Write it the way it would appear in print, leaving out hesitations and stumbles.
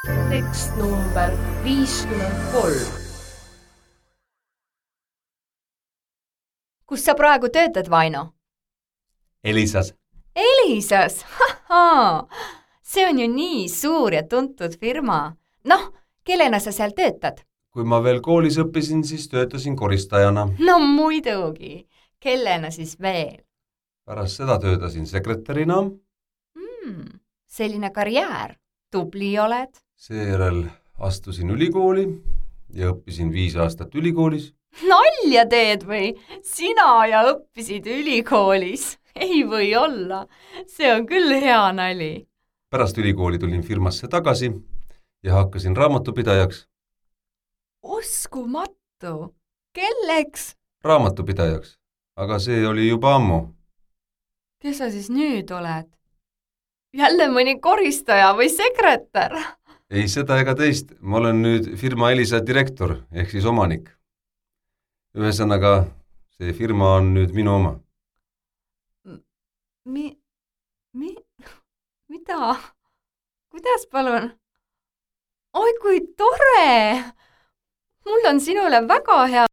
Tekst number 53. Kus sa praegu töötad, Vaino? Elisas. Elisas? Hahaa! See on ju nii suur ja tuntud firma. Noh, kellena sa seal töötad? Kui ma veel koolis õppisin, siis töötasin koristajana. No muidugi. Kellena siis veel? Pärast seda töötasin sekretärina. Selline karjäär. Tubli oled. Seejärel astusin ülikooli ja õppisin 5 aastat ülikoolis. Nalja teed või? Sina ja õppisid ülikoolis. Ei või olla. See on küll hea nali. Pärast ülikooli tulin firmasse tagasi ja hakkasin raamatupidajaks. Uskumatu. Kelleks? Raamatupidajaks, aga see oli juba ammu. Kes sa siis nüüd oled? Jälle mõni koristaja või sekretär? Ei seda ega teist. Ma olen nüüd firma Elisa direktor ehk siis omanik. Ühesõnaga, see firma on nüüd minu oma. Mida? Kuidas palun? Oi, kui tore! Mul on sinule väga hea